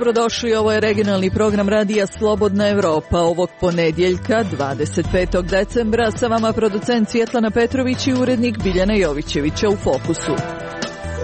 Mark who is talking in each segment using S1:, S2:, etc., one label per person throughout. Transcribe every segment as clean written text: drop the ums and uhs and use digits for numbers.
S1: Dobrodošli, ovo je regionalni program radija Slobodna Evropa ovog ponedjeljka 25. decembra. Sa vama producent Svjetlana Petrović i urednik Biljana Jovićevića u Fokusu.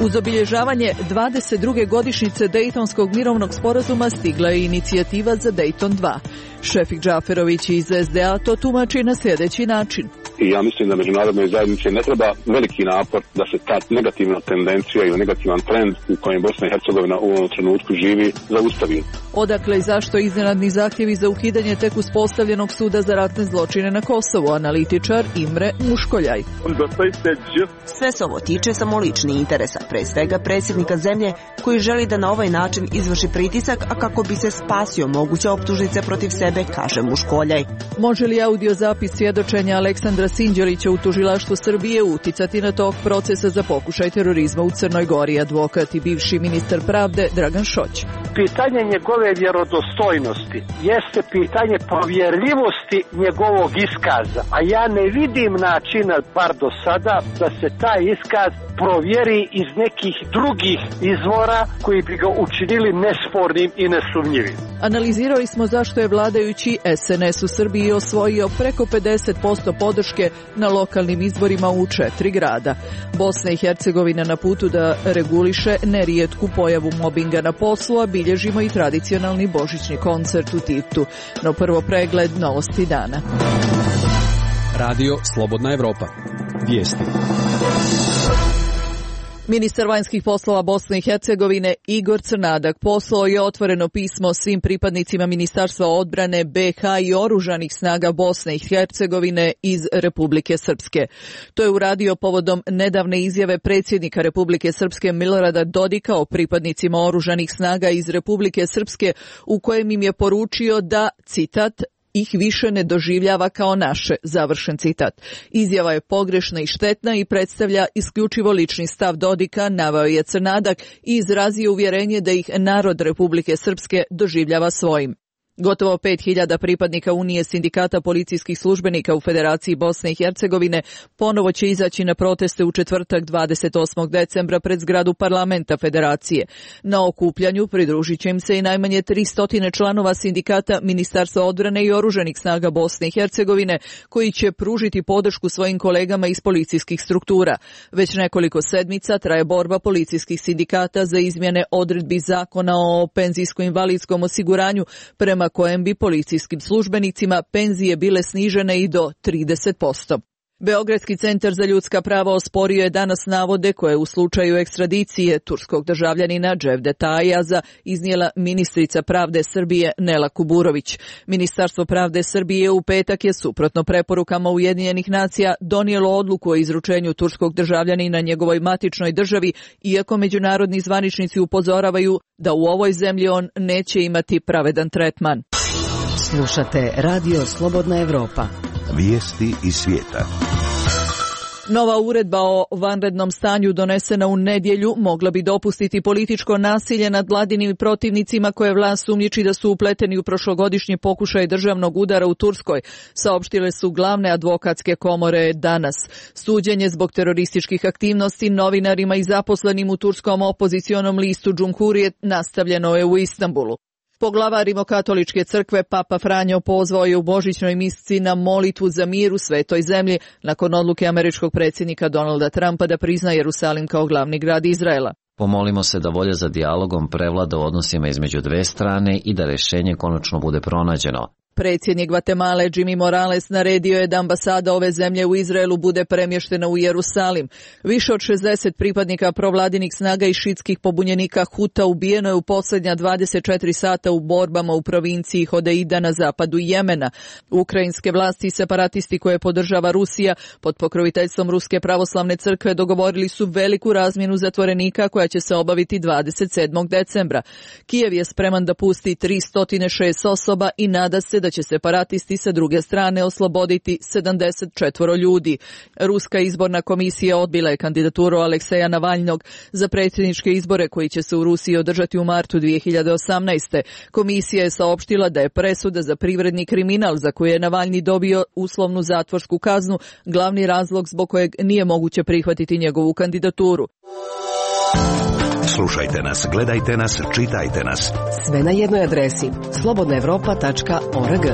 S1: Uz obilježavanje 22. godišnjice Dejtonskog mirovnog sporazuma stigla je inicijativa za Dejton 2. Šefik Džaferović iz SDA to tumači na sljedeći način.
S2: I ja mislim da međunarodnoj zajednici ne treba veliki napor da se ta negativna tendencija ili negativan trend u kojem Bosna i Hercegovina u ovom trenutku živi zaustavi.
S1: Odakle i zašto iznenadni zahtjevi za ukidanje tek uspostavljenog suda za ratne zločine na Kosovu, analitičar Imre Muškoljaj.
S3: Sve se ovo tiče samo ličnih interesa, pre svega predsjednika zemlje koji želi da na ovaj način izvrši pritisak, a kako bi se spasio moguće optužnice protiv sebe, kaže Muškoljaj.
S1: Može li audio zapis svjedočenja Aleksandra Sinđelića u tužilaštvu Srbije uticati na tok procesa za pokušaj terorizma u Crnoj Gori? Advokat i bivši ministar pravde Dragan Šoć.
S4: Pitanje njegove vjerodostojnosti jeste pitanje provjerljivosti njegovog iskaza, a ja ne vidim načina, bar do sada, da se taj iskaz provjeri iz nekih drugih izvora koji bi ga učinili nespornim i nesumnjivim.
S1: Analizirali smo zašto je vladajući SNS u Srbiji osvojio preko 50% podrške na lokalnim izborima u 4 grada. Bosna i Hercegovina na putu da reguliše nerijetku pojavu mobinga na poslu, a bilježimo i tradicionalni božićni koncert u Titu. No prvo pregled novosti dana.
S5: Radio Slobodna Evropa. Vijesti.
S1: Ministar vanjskih poslova Bosne i Hercegovine Igor Crnadak poslao je otvoreno pismo svim pripadnicima Ministarstva odbrane BiH i oružanih snaga Bosne i Hercegovine iz Republike Srpske. To je uradio povodom nedavne izjave predsjednika Republike Srpske Milorada Dodika o pripadnicima oružanih snaga iz Republike Srpske, u kojem im je poručio da, citat, ih više ne doživljava kao naše, završen citat. Izjava je pogrešna i štetna i predstavlja isključivo lični stav Dodika, naveo je Crnadak i izrazio uvjerenje da ih narod Republike Srpske doživljava svojim. Gotovo 5000 pripadnika Unije sindikata policijskih službenika u Federaciji Bosne i Hercegovine ponovo će izaći na proteste u četvrtak 28. decembra pred zgradu parlamenta Federacije. Na okupljanju pridružit će im se i najmanje 300 članova sindikata Ministarstva odbrane i oružanih snaga Bosne i Hercegovine, koji će pružiti podršku svojim kolegama iz policijskih struktura. Već nekoliko sedmica traje borba policijskih sindikata za izmjene odredbi zakona o penzijsko-invalidskom osiguranju, prema kojem bi policijskim službenicima penzije bile snižene i do 30%. Beogradski centar za ljudska prava osporio je danas navode koje u slučaju ekstradicije turskog državljanina Cevdeta Ayaza iznijela ministrica pravde Srbije Nela Kuburović. Ministarstvo pravde Srbije u petak je suprotno preporukama Ujedinjenih nacija donijelo odluku o izručenju turskog državljanina njegovoj matičnoj državi, iako međunarodni zvaničnici upozoravaju da u ovoj zemlji on neće imati pravedan tretman.
S3: Slušate Radio Slobodna Evropa.
S6: Vijesti iz svijeta.
S1: Nova uredba o vanrednom stanju donesena u nedjelju mogla bi dopustiti političko nasilje nad vladinim protivnicima koje vlast sumnjiči da su upleteni u prošlogodišnji pokušaj državnog udara u Turskoj, saopštile su glavne advokatske komore danas. Suđenje zbog terorističkih aktivnosti novinarima i zaposlenim u turskom opozicionom listu Cumhuriyet nastavljeno je u Istanbulu. Poglavar Rimokatoličke crkve Papa Franjo pozvao je u božićnoj misci na molitvu za mir u svetoj zemlji nakon odluke američkog predsjednika Donalda Trumpa da prizna Jerusalim kao glavni grad Izraela.
S7: Pomolimo se da volja za dijalogom prevlada u odnosima između dve strane i da rješenje konačno bude pronađeno.
S1: Predsjednik Gvatemale Jimmy Morales naredio je da ambasada ove zemlje u Izraelu bude premještena u Jerusalim. Više od 60 pripadnika provladinih snaga i šitskih pobunjenika Huta ubijeno je u posljednja 24 sata u borbama u provinciji Hodeida na zapadu Jemena. Ukrajinske vlasti i separatisti koje podržava Rusija pod pokroviteljstvom Ruske pravoslavne crkve dogovorili su veliku razmjenu zatvorenika koja će se obaviti 27. decembra. Kijev je spreman da pusti 306 osoba i nada se da će separatisti sa druge strane osloboditi 74 ljudi. Ruska izborna komisija odbila je kandidaturu Alekseja Navalnog za predsjedničke izbore koji će se u Rusiji održati u martu 2018. Komisija je saopštila da je presuda za privredni kriminal za koji je Navalni dobio uslovnu zatvorsku kaznu glavni razlog zbog kojeg nije moguće prihvatiti njegovu kandidaturu.
S6: Slušajte nas, gledajte nas, čitajte nas.
S8: Sve na jednoj adresi slobodnaevropa.org.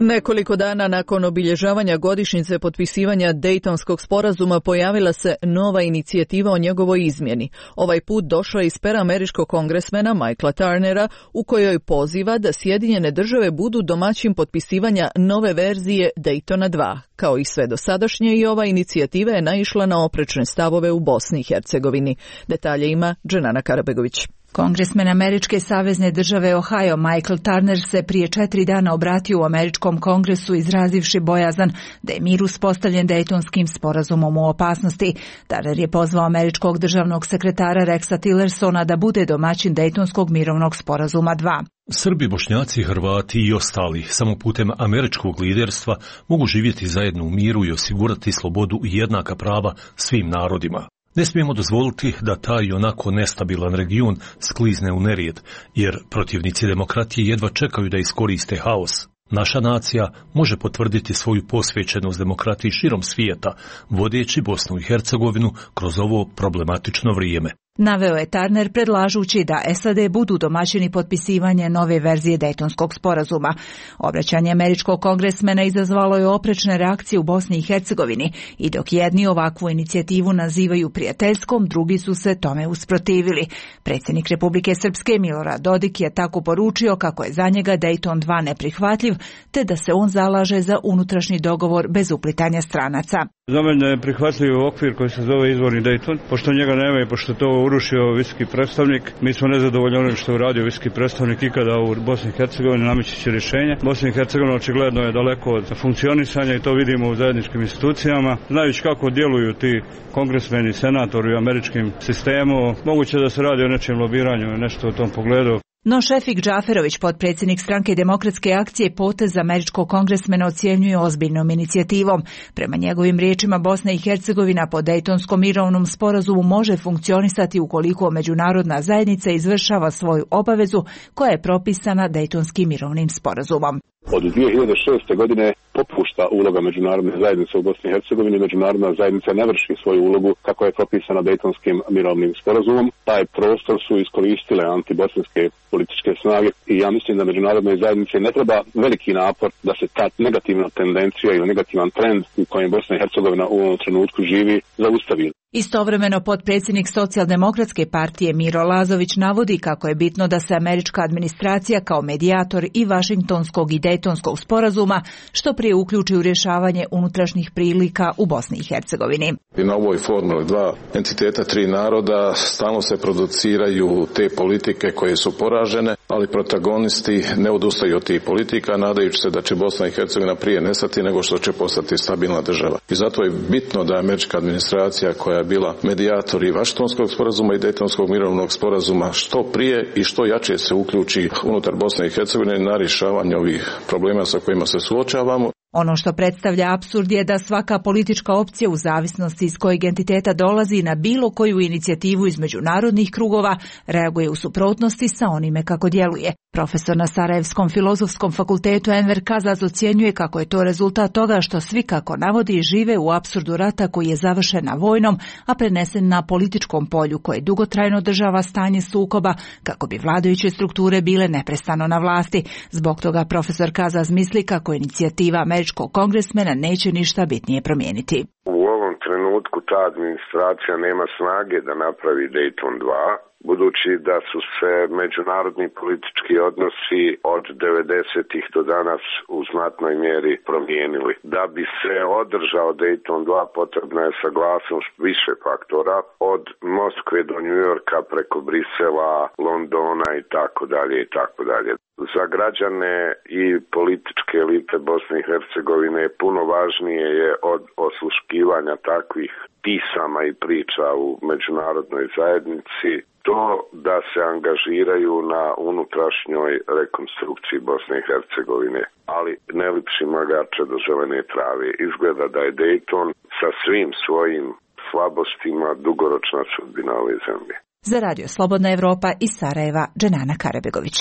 S1: Nekoliko dana nakon obilježavanja godišnjice potpisivanja Dejtonskog sporazuma pojavila se nova inicijativa o njegovoj izmjeni. Ovaj put došla iz pera američkog kongresmena Michaela Turnera, u kojoj poziva da Sjedinjene države budu domaćin potpisivanja nove verzije Daytona 2. Kao i sve dosadašnje, i ova inicijativa je naišla na oprečne stavove u Bosni i Hercegovini. Detalje ima Dženana Karabegović.
S9: Kongresmen američke savezne države Ohio Michael Turner se prije 4 dana obratio u američkom kongresu izrazivši bojazan da je mir uspostavljen Dejtonskim sporazumom u opasnosti. Turner je pozvao američkog državnog sekretara Rexa Tillersona da bude domaćin Dejtonskog mirovnog sporazuma 2.
S10: Srbi, Bošnjaci, Hrvati i ostali samo putem američkog liderstva mogu živjeti zajedno u miru i osigurati slobodu i jednaka prava svim narodima. Ne smijemo dozvoliti da taj onako nestabilan region sklizne u nerijed, jer protivnici demokratije jedva čekaju da iskoriste haos. Naša nacija može potvrditi svoju posvećenost demokratiji širom svijeta, vodeći Bosnu i Hercegovinu kroz ovo problematično vrijeme.
S9: Naveo je Turner predlažući da SAD budu domaćini potpisivanje nove verzije Dejtonskog sporazuma. Obraćanje američkog kongresmena izazvalo je oprečne reakcije u Bosni i Hercegovini i dok jedni ovakvu inicijativu nazivaju prijateljskom, drugi su se tome usprotivili. Predsjednik Republike Srpske Milorad Dodik je tako poručio kako je za njega Dejton 2 neprihvatljiv, te da se on zalaže za unutrašnji dogovor bez uplitanja stranaca.
S11: Za mene je prihvatljiv okvir koji se zove izvorni Dejton, pošto njega nema i pošto to urušio visoki predstavnik. Mi smo nezadovoljni onim što je uradio visoki predstavnik ikada u Bosni i Hercegovini, nameći će rješenje. Bosna i Hercegovina očigledno je daleko od funkcionisanja i to vidimo u zajedničkim institucijama. Znajući kako djeluju ti kongresmeni, senatori u američkim sistemu, moguće da se radi o nečem lobiranju i nešto u tom pogledu.
S9: No Šefik Džaferović, potpredsjednik stranke Demokratske akcije, potez američkog kongresmena ocjenjuje ozbiljnom inicijativom. Prema njegovim riječima, Bosna i Hercegovina po Dejtonskom mirovnom sporazumu može funkcionisati ukoliko međunarodna zajednica izvršava svoju obavezu koja je propisana Dejtonskim mirovnim sporazumom.
S2: Od 2006. godine popušta uloga međunarodne zajednice u Bosni i Hercegovini. Međunarodna zajednica ne vrši svoju ulogu kako je propisana Dejtonskim mirovnim sporazumom. Taj prostor su iskoristile antibosanske političke snage i ja mislim da međunarodnoj zajednici ne treba veliki napor da se ta negativna tendencija ili negativan trend u kojem Bosna i Hercegovina u ovom trenutku živi zaustavi.
S9: Istovremeno potpredsjednik Socijaldemokratske partije Miro Lazović navodi kako je bitno da se američka administracija kao medijator i Vašingtonskog i Dejtonskog sporazuma što prije uključi u rješavanje unutrašnjih prilika u Bosni i Hercegovini.
S12: I na ovoj formuli 2 entiteta 3 naroda stalno se produciraju te politike koje su poražene, ali protagonisti ne odustaju od tih politika, nadajući se da će Bosna i Hercegovina prije nestati nego što će postati stabilna država. I zato je bitno da američka administracija koja je bila medijator i Vašingtonskog sporazuma i Dejtonskog mirovnog sporazuma što prije i što jače se uključi unutar Bosne i Hercegovine na rješavanje ovih problema sa kojima se suočavamo.
S9: Ono što predstavlja apsurd je da svaka politička opcija u zavisnosti iz kojeg entiteta dolazi na bilo koju inicijativu iz međunarodnih krugova reaguje u suprotnosti sa onime kako djeluje. Profesor na Sarajevskom filozofskom fakultetu Enver Kazaz ocjenjuje kako je to rezultat toga što svi, kako navodi, žive u apsurdu rata koji je završen na vojnom, a prenesen na političkom polju koje dugotrajno održava stanje sukoba kako bi vladajuće strukture bile neprestano na vlasti. Zbog toga profesor Kazaz misli kako inicijativa američkog kongresmena neće ništa bitnije promijeniti.
S13: U ovom trenutku ta administracija nema snage da napravi Dejton 2. Budući da su se međunarodni politički odnosi od 90-ih do danas u znatnoj mjeri promijenili. Da bi se održao Dejton 2 potrebna je saglasnost više faktora, od Moskve do New Yorka preko Brisela, Londona i tako dalje i tako dalje. Za građane i političke elite Bosne i Hercegovine puno važnije je od osluškivanja takvih pisama i priča u međunarodnoj zajednici to da se angažiraju na unutrašnjoj rekonstrukciji Bosne i Hercegovine, ali ne lipši magače do zelene trave. Izgleda da je Dejton sa svim svojim slabostima dugoročna sudbina ove zemlje.
S9: Za Radio Slobodna Evropa iz Sarajeva, Dženana Karabegović.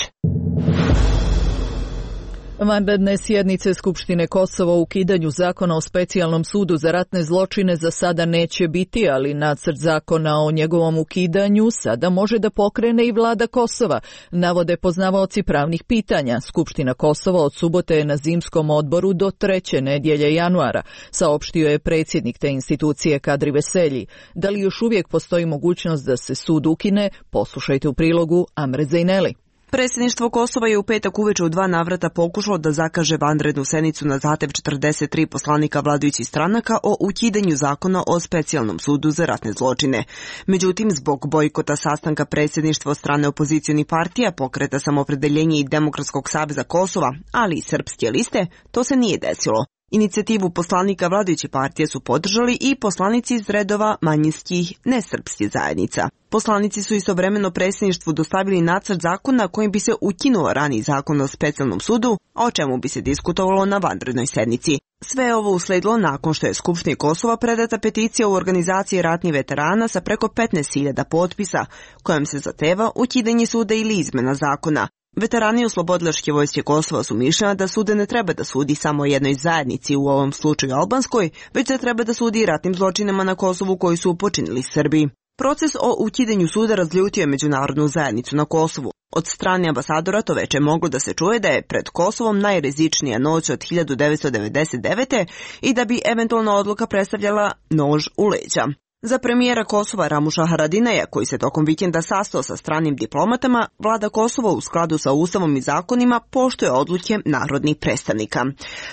S1: Vanredne sjednice Skupštine Kosova o ukidanju zakona o specijalnom sudu za ratne zločine za sada neće biti, ali nacrt zakona o njegovom ukidanju sada može da pokrene i vlada Kosova, navode poznavaoci pravnih pitanja. Skupština Kosova od subote je na zimskom odboru do 3. nedjelje januara, saopštio je predsjednik te institucije Kadri Veselji. Da li još uvijek postoji mogućnost da se sud ukine? Poslušajte u prilogu Amre Zejneli.
S3: Predsjedništvo Kosova je u petak uveče u 2 navrata pokušalo da zakaže vanrednu sednicu na zahtev 43 poslanika vladajućih stranaka o ukidanju zakona o specijalnom sudu za ratne zločine. Međutim, zbog bojkota sastanka predsjedništva od strane opozicionih partija, Pokreta Samoopredeljenje i Demokratskog saveza Kosova, ali i Srpske liste, to se nije desilo. Inicijativu poslanika vladajuće partije su podržali i poslanici iz redova manjinskih nesrpskih zajednica. Poslanici su istovremeno predsjedništvu dostavili nacrt zakona kojim bi se ukinuo raniji zakon o specijalnom sudu, a o čemu bi se diskutovalo na vanrednoj sednici. Sve je ovo usledilo nakon što je Skupštini Kosova predata peticija u organizaciji ratnih veterana sa preko 15.000 potpisa, kojom se zahteva ukidanje suda ili izmena zakona. Veterani Oslobodilačke vojske Kosova su mišljena da sude ne treba da sudi samo jednoj zajednici, u ovom slučaju albanskoj, već da treba da sudi i ratnim zločinama na Kosovu koji su počinili Srbi. Proces o ukidanju suda razljutio je međunarodnu zajednicu na Kosovu. Od strane ambasadora to već je moglo da se čuje da je pred Kosovom najrizičnija noć od 1999. i da bi eventualna odluka predstavljala nož u leđa. Za premijera Kosova Ramuša Haradinaja, koji se tokom vikenda sastao sa stranim diplomatama, vlada Kosova u skladu sa ustavom i zakonima poštuje odluke narodnih predstavnika.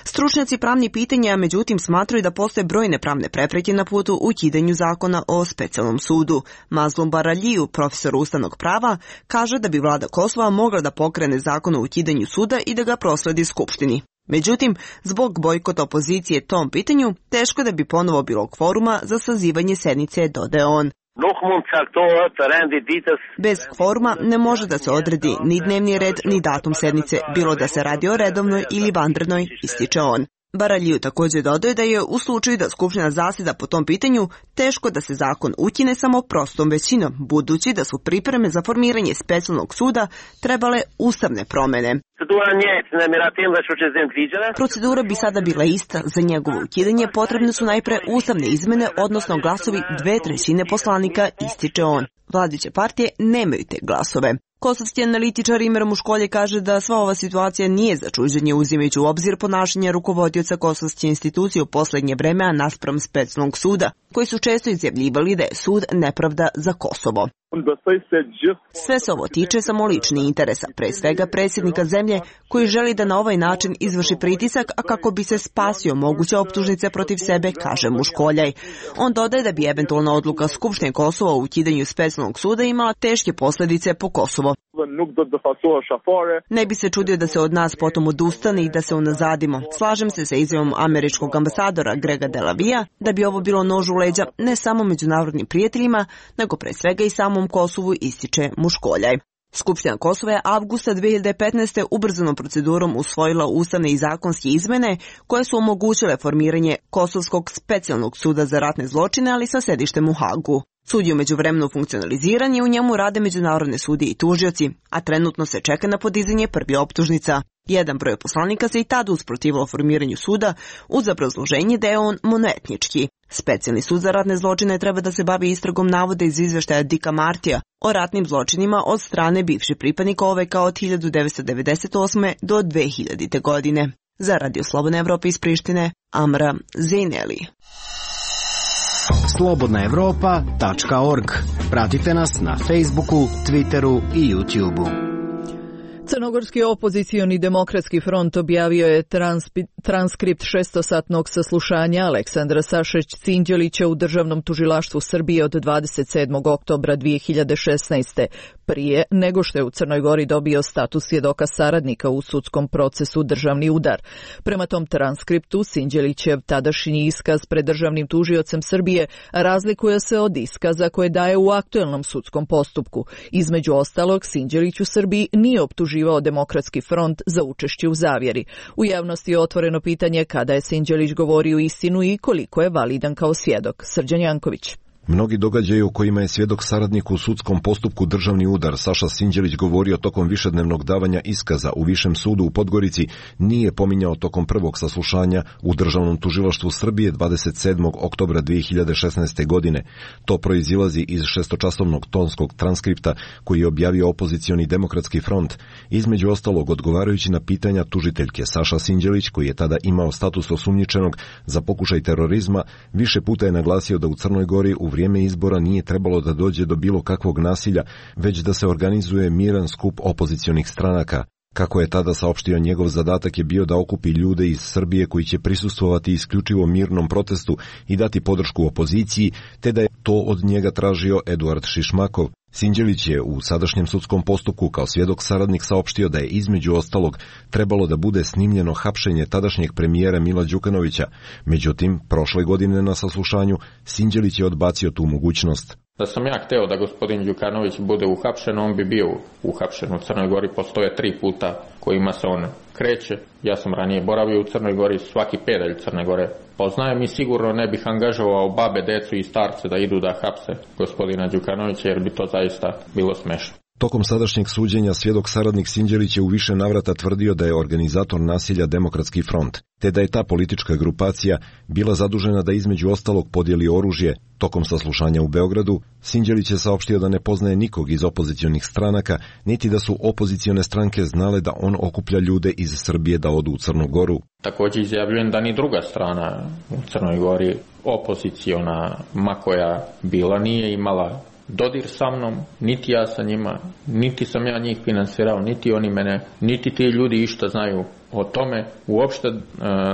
S3: Stručnjaci pravnih pitanja, međutim, smatraju da postoje brojne pravne prepreke na putu ukidanju zakona o specijalnom sudu. Mazlum Baraljiju, profesor ustavnog prava, kaže da bi vlada Kosova mogla da pokrene zakon o ukidanju suda i da ga prosledi Skupštini. Međutim, zbog bojkota opozicije tom pitanju, teško da bi ponovo bilo kvoruma za sazivanje sednice, dodaje on. Bez kvoruma ne može da se odredi ni dnevni red, ni datum sednice, bilo da se radi o redovnoj ili vanrednoj, ističe on. Baraljiju također dodaje da je u slučaju da Skupština zasjeda po tom pitanju teško da se zakon ukine samo prostom većinom, budući da su pripreme za formiranje specijalnog suda trebale ustavne promjene. Procedura bi sada bila ista. Za njegovo ukidanje potrebne su najpre ustavne izmene, odnosno glasovi 2/3 poslanika, ističe on. Vladajuće partije nemaju te glasove. Kosovski analitičar Imer Muškolje kaže da sva ova situacija nije za čuđenje uzimajući u obzir ponašanje rukovodioca kosovske institucije u posljednje vreme naspram specijalnog suda, koji su često izjavljivali da je sud nepravda za Kosovo. Sve se ovo tiče samo ličnih interesa, pre svega predsjednika zemlje koji želi da na ovaj način izvrši pritisak, a kako bi se spasio moguće optužnice protiv sebe, kaže Muškoljaj. On dodaje da bi eventualna odluka Skupštine Kosova o ukidanju specijalnog suda imala teške posljedice po Kosovo. Ne bi se čudio da se od nas potom odustane i da se unazadimo. Slažem se sa izjavom američkog ambasadora Grega Delavija da bi ovo bilo nož u leđa ne samo međunarodnim prijateljima, nego pre svega i samom Kosovu, ističe Muškoljaj. Skupština Kosova je avgusta 2015. ubrzanom procedurom usvojila ustavne i zakonske izmene koje su omogućile formiranje Kosovskog specijalnog suda za ratne zločine, ali sa sedištem u Hagu. Sud je u međuvremenu funkcionaliziran i u njemu rade međunarodne sudije i tužioci, a trenutno se čeka na podizanje prvi optužnica. Jedan broj poslanika se i tada usprotivilo formiranju suda uz obrazloženje da je on monoetnički. Specijalni sud za ratne zločine treba da se bavi istragom navoda iz izveštaja Dika Martija o ratnim zločinima od strane bivših pripadnika OVK od 1998. do 2000. godine. Za Radio Slobodne Evrope iz Prištine, Amra Zejneli.
S14: slobodnaevropa.org. Pratite nas na Facebooku, Twitteru i YouTubeu.
S1: Crnogorski opozicioni demokratski front objavio je transkript 600-satnog saslušanja Aleksandra Sašić-Cinđelića u Državnom tužilaštvu Srbije od 27. oktobra 2016. prije nego što je u Crnoj Gori dobio status svjedoka saradnika u sudskom procesu Državni udar. Prema tom transkriptu Cinđelićev tadašnji iskaz pred državnim tužiocem Srbije razlikuje se od iskaza koje daje u aktuelnom sudskom postupku. Između ostalog, Cinđelić u Srbiji nije optuživao Demokratski front za učešće u zavjeri. U javnosti je otvoreno pitanje kada je Cinđelić govorio istinu i koliko je validan kao svjedok. Srđan Janković.
S15: Mnogi događaji o kojima je svjedok saradnik u sudskom postupku državni udar Saša Sinđelić govorio tokom višednevnog davanja iskaza u Višem sudu u Podgorici nije pominjao tokom prvog saslušanja u Državnom tužilaštvu Srbije 27. oktobra 2016. godine. To proizilazi iz 6-časovnog tonskog transkripta koji je objavio opozicioni Demokratski front, između ostalog odgovarajući na pitanja tužiteljke. Saša Sinđelić, koji je tada imao status osumnjičenog za pokušaj terorizma, više puta je naglasio da u Crnoj Gori u vrijeme izbora nije trebalo da dođe do bilo kakvog nasilja, već da se organizuje miran skup opozicionih stranaka. Kako je tada saopštio, njegov zadatak je bio da okupi ljude iz Srbije koji će prisustvovati isključivo mirnom protestu i dati podršku opoziciji, te da je to od njega tražio Eduard Šišmakov. Sinđelić je u sadašnjem sudskom postupku kao svjedok saradnik saopštio da je između ostalog trebalo da bude snimljeno hapšenje tadašnjeg premijera Mila Đukanovića. Međutim, prošle godine na saslušanju Sinđelić je odbacio tu mogućnost.
S16: Da sam ja hteo da gospodin Đukanović bude uhapšen, on bi bio uhapšen. U Crnoj Gori postoje 3 puta kojima se on kreće. Ja sam ranije boravio u Crnoj Gori, svaki pedalj Crne Gore poznajem i sigurno ne bih angažovao babe, decu i starce da idu da hapse gospodina Đukanovića, jer bi to zaista bilo smešno.
S15: Tokom sadašnjeg suđenja svjedok saradnik Sinđelić je u više navrata tvrdio da je organizator nasilja Demokratski front, te da je ta politička grupacija bila zadužena da između ostalog podijeli oružje. Tokom saslušanja u Beogradu, Sinđelić je saopštio da ne poznaje nikog iz opozicionih stranaka, niti da su opozicione stranke znale da on okuplja ljude iz Srbije da odu u Crnu Goru.
S16: Također izjavljujem da ni druga strana u Crnoj Gori, opoziciona, ma koja bila, nije imala dodir sa mnom, niti ja sa njima, niti sam ja njih finansirao, niti oni mene, niti ti ljudi išta znaju o tome. Uopšte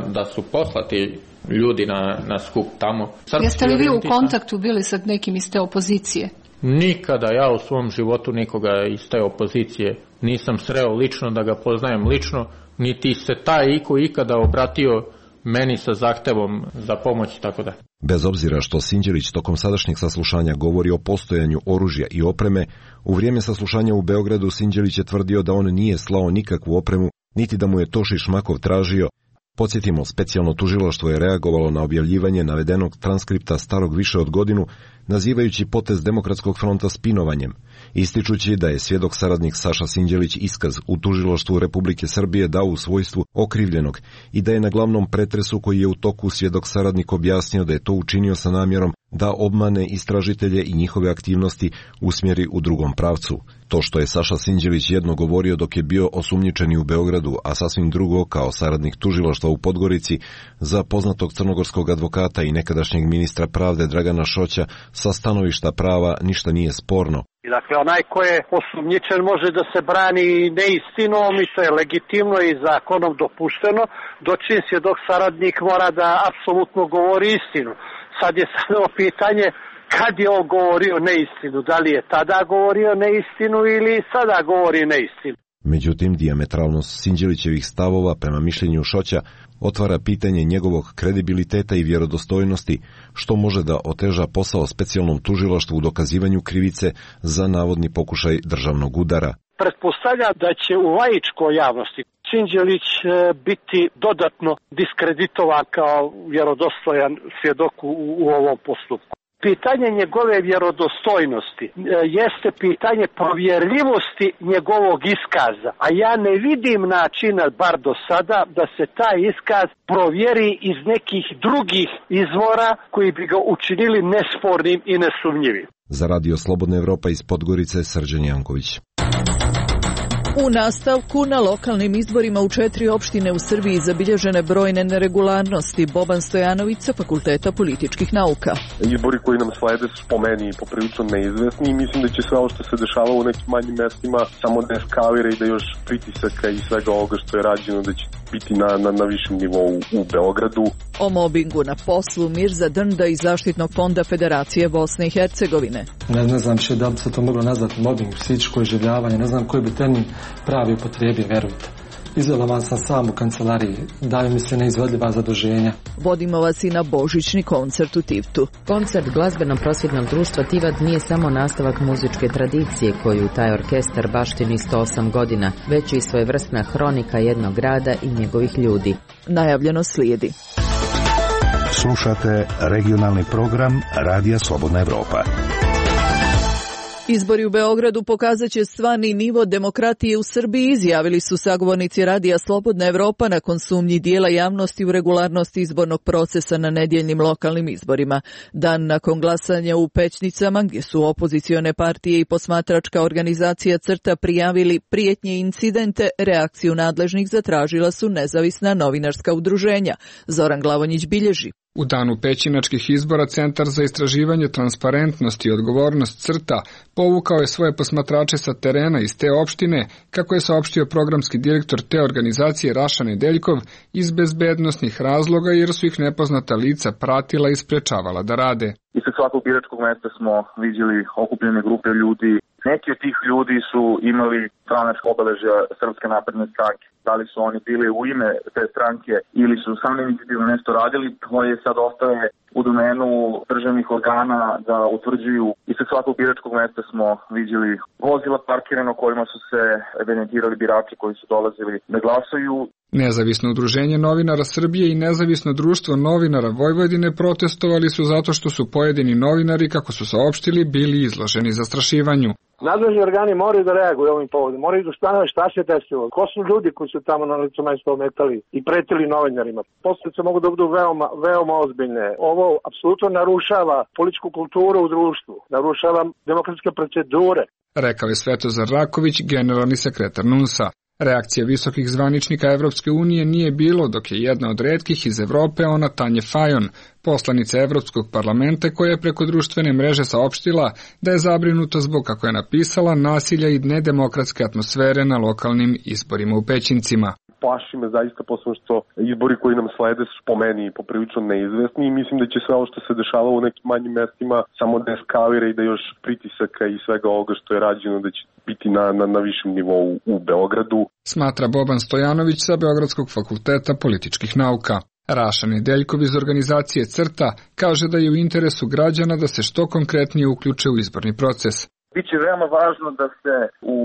S16: da su poslati ljudi na skup tamo.
S17: Jeste li vi u kontaktu bili sa nekim iz te opozicije?
S16: Nikada ja u svom životu nikoga iz te opozicije nisam sreo lično, da ga poznajem lično, niti se taj iko ikada obratio meni sa zahtevom za pomoć, tako da.
S15: Bez obzira što Sinđelić tokom sadašnjeg saslušanja govori o postojanju oružja i opreme, u vrijeme saslušanja u Beogradu Sinđelić je tvrdio da on nije slao nikakvu opremu, niti da mu je to Šišmakov tražio. Podsjetimo, specijalno tužilaštvo je reagovalo na objavljivanje navedenog transkripta starog više od godinu, nazivajući potez Demokratskog fronta spinovanjem, ističući da je svjedok saradnik Saša Sinđelić iskaz u tužilaštvu Republike Srbije dao u svojstvu okrivljenog i da je na glavnom pretresu koji je u toku svjedok saradnik objasnio da je to učinio sa namjerom da obmane istražitelje i njihove aktivnosti usmjeri u drugom pravcu. To što je Saša Sinđelić jedno govorio dok je bio osumnjičeni u Beogradu, a sasvim drugo kao saradnik tužilaštva u Podgorici, za poznatog crnogorskog advokata i nekadašnjeg ministra pravde Dragana Šoća sa stanovišta prava ništa nije sporno.
S4: Dakle, onaj ko je osumnjičen može da se brani neistinom i to je legitimno i zakonom dopušteno, dočim svjedok saradnik mora da apsolutno govori istinu. Sad je samo pitanje kad je on govorio neistinu, da li je tada govorio neistinu ili sada govori neistinu.
S15: Međutim, dijametralnost Sinđelićevih stavova prema mišljenju Šoća otvara pitanje njegovog kredibiliteta i vjerodostojnosti, što može da oteža posao specijalnom tužilaštvu u dokazivanju krivice za navodni pokušaj državnog udara.
S4: Pretpostavljam da će u laičkoj javnosti Sinđelić biti dodatno diskreditovan kao vjerodostojan svjedok u ovom postupku. Pitanje njegove vjerodostojnosti jeste pitanje provjerljivosti njegovog iskaza, a ja ne vidim načina, bar do sada, da se taj iskaz provjeri iz nekih drugih izvora koji bi ga učinili nespornim i nesumnjivim.
S15: Za Radio Slobodna Evropa iz Podgorice, Srđan Janković.
S1: U nastavku, na lokalnim izborima u 4 opštine u Srbiji zabilježene brojne neregularnosti. Boban Stojanović sa Fakulteta političkih nauka.
S18: Izbori koji nam slede su po meni poprilično neizvesni i mislim da će sve ovo što se dešava u nekim manjim mestima samo da eskalira i da još pritisaka i svega ovoga što je rađeno da će biti na višem nivou u Beogradu.
S1: O mobingu na poslu Mirza Drnda iz Zaštitnog fonda Federacije Bosne i Hercegovine.
S19: Ne znam še da bi se to moglo nazvati mobing, psihičko iživljavanje, ne znam koji bi termin pravi upotrijebio, verujte. Izolovan sam sam u kancelariji, daju mi se neizvodljiva zaduženja.
S1: Vodimo vas i na božićni koncert u Tivtu.
S20: Koncert glazbeno-prosvjetnog društva Tivat nije samo nastavak muzičke tradicije koju taj orkestar baštini 108 godina, već i svojevrsna hronika jednog grada i njegovih ljudi.
S1: Najavljeno slijedi.
S6: Slušate regionalni program Radija Slobodna Evropa.
S1: Izbori u Beogradu pokazat će stvarni nivo demokratije u Srbiji, izjavili su sagovornici Radija Slobodna Evropa nakon sumnji dijela javnosti u regularnosti izbornog procesa na nedjeljnim lokalnim izborima. Dan nakon glasanja u Pećnicama, gdje su opozicione partije i posmatračka organizacija CRTA prijavili prijetnje i incidente, reakciju nadležnih zatražila su nezavisna novinarska udruženja. Zoran Glavonjić bilježi.
S21: U danu pećinačkih izbora Centar za istraživanje transparentnosti i odgovornost CRTA povukao je svoje posmatrače sa terena iz te opštine, kako je saopštio programski direktor te organizacije Raša Nedeljkov, iz bezbednosnih razloga jer su ih nepoznata lica pratila i sprečavala da rade.
S22: Ispred svakog biračkog mesta smo vidjeli okupljene grupe ljudi. Neki od tih ljudi su imali stranačka obeležja Srpske napredne stranke. Da li su oni bili u ime te stranke ili su sami inicijativno nešto radili, to je sad ostaje u domenu državnih organa da utvrđuju. Ispred svakog biračkog mesta smo vidjeli vozila parkirano kojima su se evidentirali birači koji su dolazili da glasaju.
S21: Nezavisno udruženje novinara Srbije i Nezavisno društvo novinara Vojvodine protestovali su zato što su pojedini novinari, kako su saopštili, bili izloženi zastrašivanju.
S23: Nadležni organi moraju da reaguju ovim povodom, moraju da ustanovi šta se desilo, ko su ljudi koji su tamo na licu mesta ometali i pretili novinarima. Posljedice mogu da budu veoma ozbiljne. Ovo apsolutno narušava političku kulturu u društvu, narušava demokratske procedure.
S21: Rekao je Svetozar Raković, generalni sekretar NUNS-a. Reakcija visokih zvaničnika Evropske unije nije bilo, dok je jedna od retkih iz Evrope, ona Tanje Fajon, poslanica Evropskog parlamenta, koja je preko društvene mreže saopštila da je zabrinuta zbog, kako je napisala, nasilja i nedemokratske atmosfere na lokalnim izborima u Pećincima.
S18: Plaši me zaista posle što izbori koji nam slede su po meni poprilično neizvesni i mislim da će sve ovo što se dešava u nekim manjim mestima samo da eskalira i da još pritisaka i svega ovoga što je rađeno da će biti na višem nivou u Beogradu.
S21: Smatra Boban Stojanović sa Beogradskog fakulteta političkih nauka. Raša Nedeljkov iz organizacije CRTA kaže da je u interesu građana da se što konkretnije uključe u izborni proces.
S22: Biće veoma važno da se u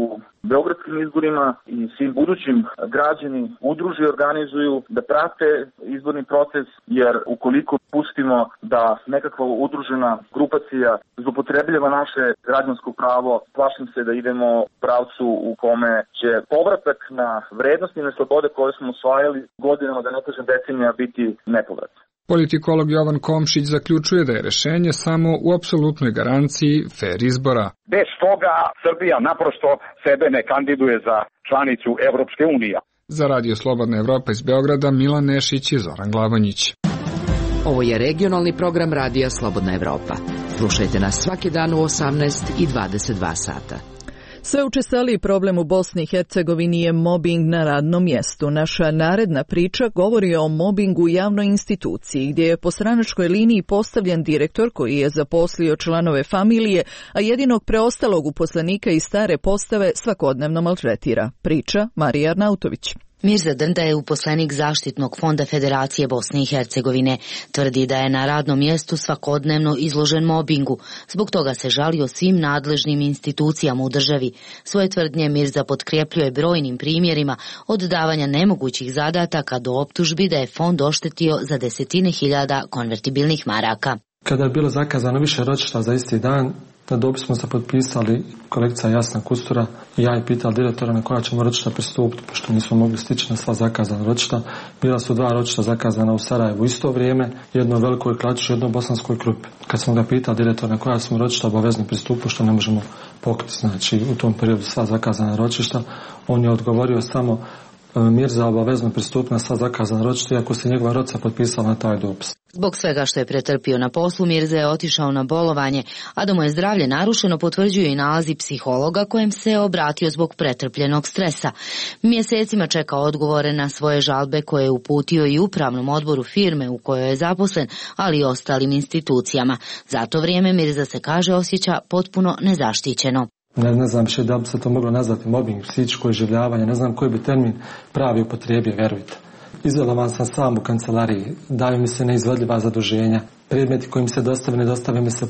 S22: beogradskim izborima i svim budućim građani udruže i organizuju, da prate izborni proces, jer ukoliko pustimo da nekakva udružena grupacija zloupotrebljava naše građansko pravo, plašim se da idemo u pravcu u kome će povratak na vrednosti i na slobode koje smo osvajali godinama, da ne kažem decenija, biti nepovrat.
S21: Politikolog Jovan Komšić zaključuje da je rešenje samo u apsolutnoj garanciji fer izbora.
S24: Bez toga Srbija naprosto sebe ne kandiduje za članicu Evropske unije.
S21: Za Radio Slobodna Evropa iz Beograda, Milan Nešić i Zoran Glavonjić.
S8: Ovo je regionalni program Radija Slobodna Evropa. Slušajte nas svaki dan u 18 i 22 sata.
S1: Sve učestaliji problem u Bosni i Hercegovini je mobing na radnom mjestu. Naša naredna priča govori o mobingu u javnoj instituciji, gdje je po stranačkoj liniji postavljen direktor koji je zaposlio članove familije, a jedinog preostalog uposlenika iz stare postave svakodnevno maltretira. Priča Marija Arnautović.
S25: Mirza Drnda je uposlenik Zaštitnog fonda Federacije Bosne i Hercegovine. Tvrdi da je na radnom mjestu svakodnevno izložen mobingu. Zbog toga se žalio svim nadležnim institucijama u državi. Svoje tvrdnje Mirza potkrepljuje brojnim primjerima od davanja nemogućih zadataka do optužbi da je fond oštetio za desetine hiljada konvertibilnih maraka.
S19: Kada je bilo zakazano više ročišta za isti dan, na dopis smo se potpisali kolegica Jasna Kustura i ja je pitao direktora na koja ćemo ročišta pristupiti, pošto nismo mogli stići na sva zakazana ročišta. Bila su 2 ročišta zakazana u Sarajevu u isto vrijeme, jedno u Velikoj Kladuši, jedno u Bosanskoj Krupi. Kad smo ga pitali direktora na koja smo ročišta obavezno pristupili, što ne možemo pokriti, znači u tom periodu sva zakazana ročišta, on je odgovorio samo Mirza obavezno pristupi na sva zakazana ročišta, iako se njegova rodca potpisala na taj dopis.
S25: Zbog svega što je pretrpio na poslu, Mirza je otišao na bolovanje, a da mu je zdravlje narušeno potvrđuju i nalazi psihologa kojem se obratio zbog pretrpljenog stresa. Mjesecima čeka odgovore na svoje žalbe koje je uputio i upravnom odboru firme u kojoj je zaposlen, ali i ostalim institucijama. Za to vrijeme Mirza se kaže osjeća potpuno nezaštićeno.
S19: Ne znam še da bi se to moglo nazvati mobbing, psihičko iživljavanje, ne znam koji bi termin pravi upotrijebio, verujte. Izolovan sam sam u kancelariji, daju mi se neizvodljiva zaduženja, predmeti koji mi se ne dostave mi se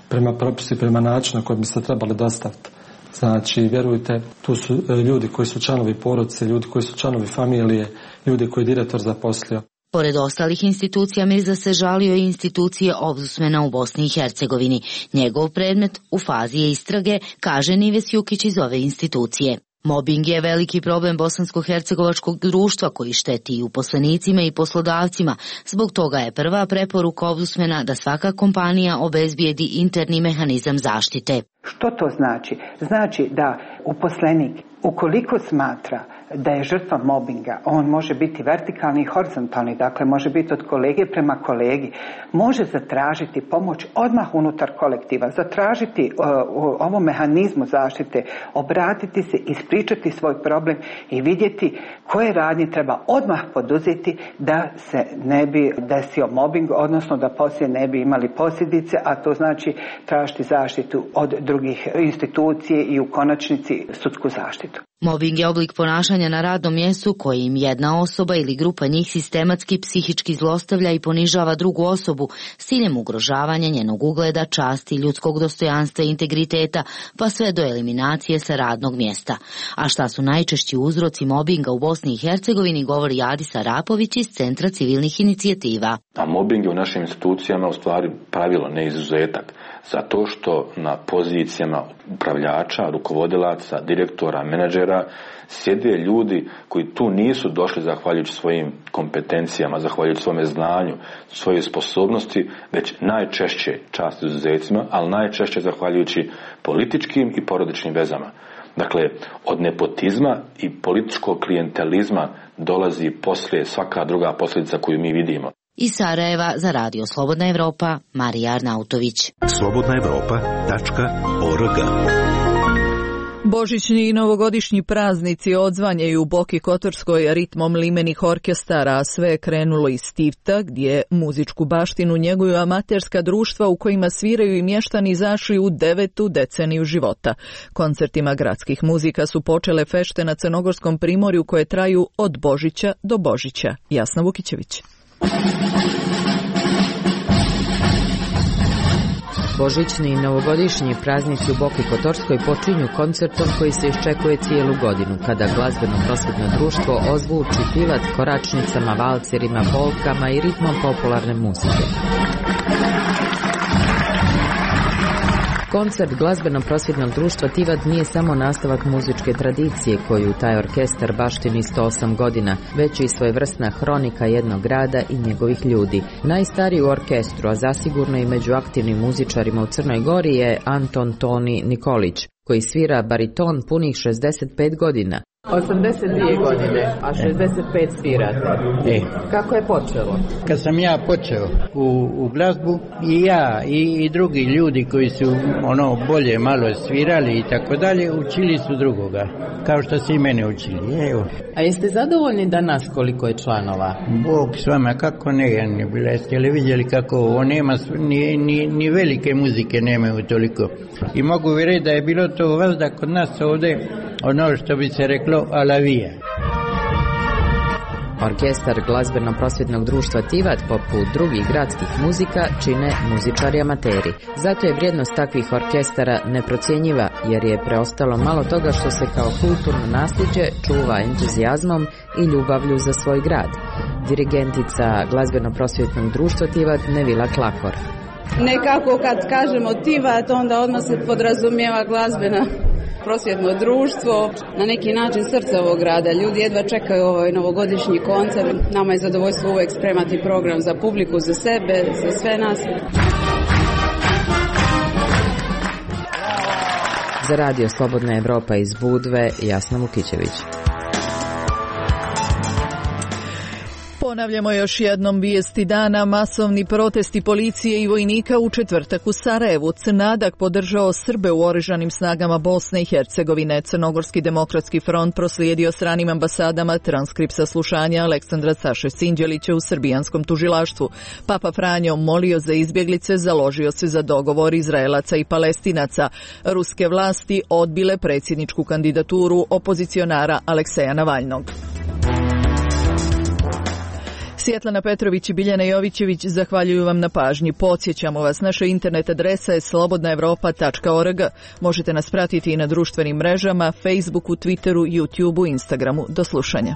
S19: prema propisu i prema načinu koji bi se trebali dostaviti. Znači, vjerujte, tu su ljudi koji su članovi porodice, ljudi koji su članovi familije, ljudi koji je direktor zaposlio.
S25: Pored ostalih institucija, Mirza se žalio i institucije ombudsmana u Bosni i Hercegovini. Njegov predmet u fazi je istrage, kaže Nives Jukić iz ove institucije. Mobing je veliki problem bosansko-hercegovačkog društva koji šteti i uposlenicima i poslodavcima. Zbog toga je prva preporuka ombudsmana da svaka kompanija obezbijedi interni mehanizam zaštite.
S2: Što to znači? Znači da uposlenik, ukoliko smatra da je žrtva mobinga, on može biti vertikalni i horizontalni, dakle može biti od kolege prema kolegi, može zatražiti pomoć odmah unutar kolektiva, zatražiti ovom mehanizmu zaštite, obratiti se, ispričati svoj problem i vidjeti koje radnje treba odmah poduzeti da se ne bi desio mobing, odnosno da poslije ne bi imali posljedice, a to znači tražiti zaštitu od drugih institucije i u konačnici sudsku zaštitu.
S25: Mobing je oblik ponašanja na radnom mjestu kojim jedna osoba ili grupa njih sistematski psihički zlostavlja i ponižava drugu osobu s ciljem ugrožavanja njenog ugleda, časti, ljudskog dostojanstva i integriteta, pa sve do eliminacije sa radnog mjesta. A šta su najčešći uzroci mobinga u Bosni i Hercegovini, govori Adis Arapović iz Centra civilnih inicijativa.
S5: A mobing je u našim institucijama u stvari pravilo, ne izuzetak. Zato što na pozicijama upravljača, rukovodilaca, direktora, menadžera sjede ljudi koji tu nisu došli zahvaljujući svojim kompetencijama, zahvaljujući svome znanju, svojoj sposobnosti, već najčešće, čast izuzecima, ali najčešće zahvaljujući političkim i porodičnim vezama. Dakle, od nepotizma i političkog klijentelizma dolazi poslije svaka druga posljedica koju mi vidimo.
S25: Iz Sarajeva za Radio Slobodna Evropa, Marija Arnautović.
S6: slobodnaevropa.org.
S1: Božićni i novogodišnji praznici odzvanjaju u Boki Kotorskoj ritmom limenih orkestara, a sve je krenulo iz Stivta, gdje muzičku baštinu njeguju amaterska društva u kojima sviraju i mještani zašli u 9. deceniju života. Koncertima gradskih muzika su počele fešte na Crnogorskom primorju koje traju od Božića do Božića. Jasna Vukićević.
S20: Božićni i novogodišnji praznici u Boki Kotorskoj počinju koncertom koji se iščekuje cijelu godinu, kada glazbeno-prosvjetno društvo ozvuči pivat koračnicama, valcerima, polkama i ritmom popularne muzike. Koncert glazbeno-prosvjetnog društva Tivat nije samo nastavak muzičke tradicije koju taj orkestar baštini 108 godina, već i svojevrsna hronika jednog grada i njegovih ljudi. Najstariji u orkestru, a zasigurno i među aktivnim muzičarima u Crnoj Gori, je Anton Toni Nikolić, koji svira bariton punih 65 godina.
S7: 82 godine, a 65 svirate. Kako je počelo?
S10: Kad sam ja počeo u glazbu, i ja i drugi ljudi koji su bolje malo svirali i tako dalje, učili su drugoga, kao što su i mene učili. Evo.
S7: A jeste zadovoljni danas koliko je članova?
S10: Bog s vama, kako ne, jeste li vidjeli kako ovo nema, ni velike muzike nemaju toliko. I mogu vi reći da je bilo to vazda kod nas ovdje, ono što bi se reklo alavija.
S20: Orkestar glazbeno-prosvjetnog društva Tivat, poput drugih gradskih muzika, čine muzičari amateri. Zato je vrijednost takvih orkestara neprocjenjiva, jer je preostalo malo toga što se kao kulturno nasljeđe čuva entuzijazmom i ljubavlju za svoj grad. Dirigentica glazbeno-prosvjetnog društva Tivat Nevila Klakor.
S11: Nekako kad kažemo Tivat, onda odmah se podrazumijeva glazbena prosvjetno društvo, na neki način srce ovog grada. Ljudi jedva čekaju ovaj novogodišnji koncert. Nama je zadovoljstvo uvijek spremati program za publiku, za sebe, za sve nas.
S20: Za Radio Slobodna Evropa iz Budve, Jasna Vukićević.
S1: Ponavljamo još jednom vijesti dana. Masovni protesti policije i vojnika u četvrtak u Sarajevu. Crnadak podržao Srbe u oružanim snagama Bosne i Hercegovine. Crnogorski demokratski front proslijedio stranim ambasadama transkript saslušanja Aleksandra Saše Sinđelića u srbijanskom tužilaštvu. Papa Franjo molio za izbjeglice, založio se za dogovor Izraelaca i Palestinaca. Ruske vlasti odbile predsjedničku kandidaturu opozicionara Alekseja Navalnog. Svjetlana Petrović i Biljana Jovićević zahvaljuju vam na pažnji. Podsjećamo vas, naša internet adresa je slobodnaevropa.org. Možete nas pratiti i na društvenim mrežama, Facebooku, Twitteru, YouTubeu, Instagramu. Do slušanja.